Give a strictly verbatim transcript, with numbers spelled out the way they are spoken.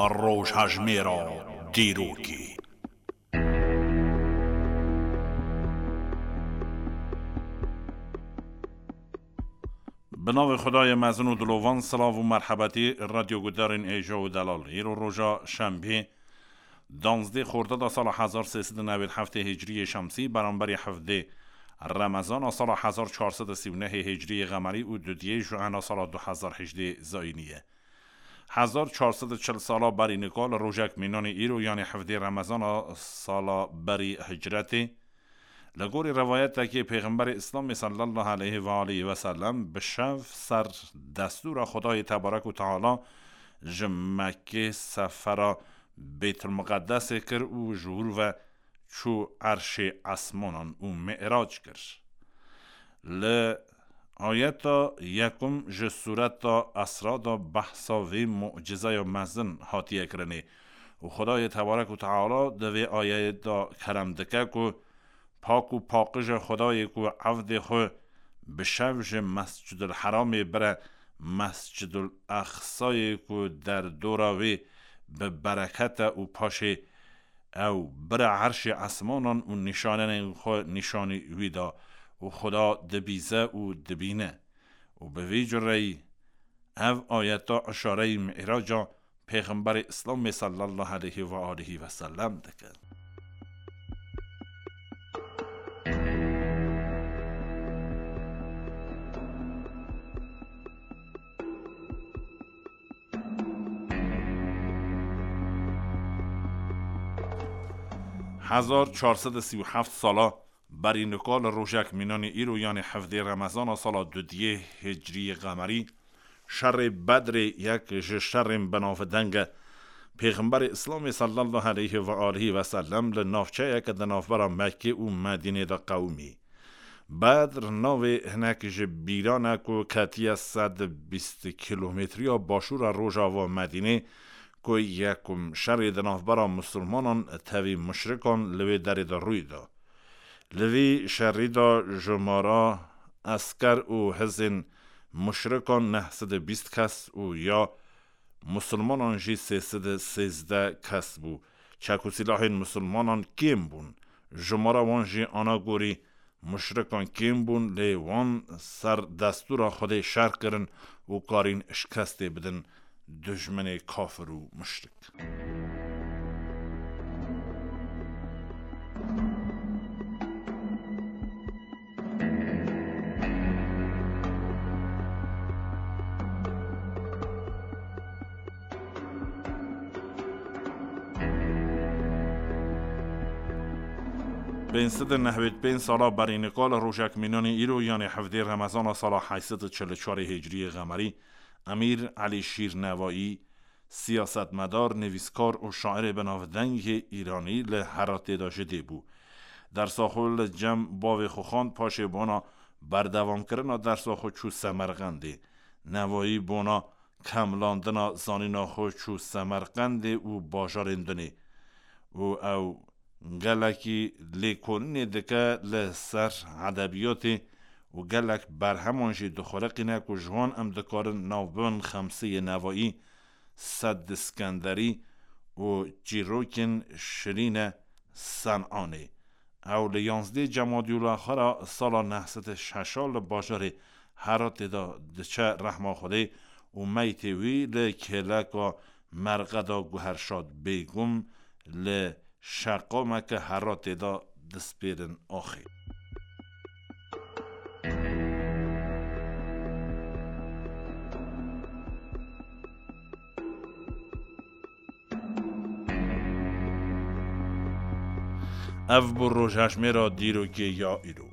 Rojhejmêra dîrokê. Bi navê Xwedayê mezin û dilovan, silav û merhebetî radyoguhdarên hêja û delal. Îro roja şembê, danzdê xordada sala hezar sê sed û newêd heftê hicriyê şemsî, beramberî hevdê remezana sala hezar çar sed û sî û nehê hicriyê qemerî û dudiyê juena sala du hezar hejdê zayînî ye. Hezar çar sed û çil sala berî nika li rojek mînanê îro, yanî hevdê remezana sala berî hicretê, li gorî rivayetekê Pêxemberê Îslamê sallallahu aleyhi ve aleyhi ve sellem bi şev ser destûra Xwedayê Tebarek û Teala ji Mekkê sefera Bêtulmuqeddesê kir û ji wir ve çû erşê esmanan û mi'rac kir. Li ayeta yekum ji sureta Esra de behsa vê mucizeya mezin hatiye kirinê û Xwedayê Tebarek û Teala di vê ayeyê de kerem dike ku pak û paqij e Xwedayê ku evdê xwe bi şev ji Mescidul Heramê bire Mescidul Aqsayê ku derdora wê bi bereket e û paşê ew bire erşê esmanan û nîşanenên xwe nîşanî wî da û Xuda dibîze û dibîne. Û bi vî cureyî ev ayeta işareyî Mi'raca Pêxemberê Îslamê sallallahu aleyhi ve aleyhi ve sellem dike. Hezar çar sed û sî û heft sala berî nika li rojek mînanê îro, yanê hevdê remezana sala dudiyê hicriyê qemerî, şerê Bedrê yek ji şerên binavdeng e. Pêxemberê Îslamê sallallahu aleyhi ve aleyhi ve sellem li navçeyeke di navbera Mekkê û Medînê de qewimî. Bedr navê hinek ji bîran e ku ketiye sed bîst kîlometriya başûra rojava Medînê, ku yekum şerê di navbera misilmanan tevî muşrikan li wê derê de rûy da. Li vî şerî de jumara esker û hizên muşrikan neh sed û bîst kes û ya misilmanan jî sê sed û sêzdeh kes bû. Çek û sîlahên misilmanan kêm bûn. Jumara wan jî ana gorî muşrikan kêm bûn, lê wan ser destûra Xwedê şer kirin û karîn şikestê bidin dijminê kafir û muşrik. Pênc sed û nehwêd pênc sala berî nika li rojek mînanê îro, yanê hevdê remezana sala heyt sed û çil û çarê hicriyê qemerî, Emîr Elî Şîr Nevayî, siyasetmedar, nivîskar û şairê binavdengê îranî li Heratê de ji dê bû. Dersa xwe li cem bavê xwe xwend, paşê bona berdewamkirina dersa xwe çû Semerqendê. Nevayî bona kemlandina zanîna xwe çû Semerqendê û bajarên dinê û ew gelekî lêkolînê dike li ser edebiyatê û gelek berheman jî dixuliqîne ku ji wan em dikarin nav bibin Xemseyê Nevayî, Sed Skenderî û çîrokên Şirîne Senanê. Ew li yanzdê Cemadî Ulaxwara sala neh sed û şeş li bajarê Heratê de diçe rehma Xwedê û meytê wî li kêleka merqeda Guherşad Bêgum li Şeqameke Heratê de dispêrin axê. Ev bû rojhejmêra dîrokê ya îro.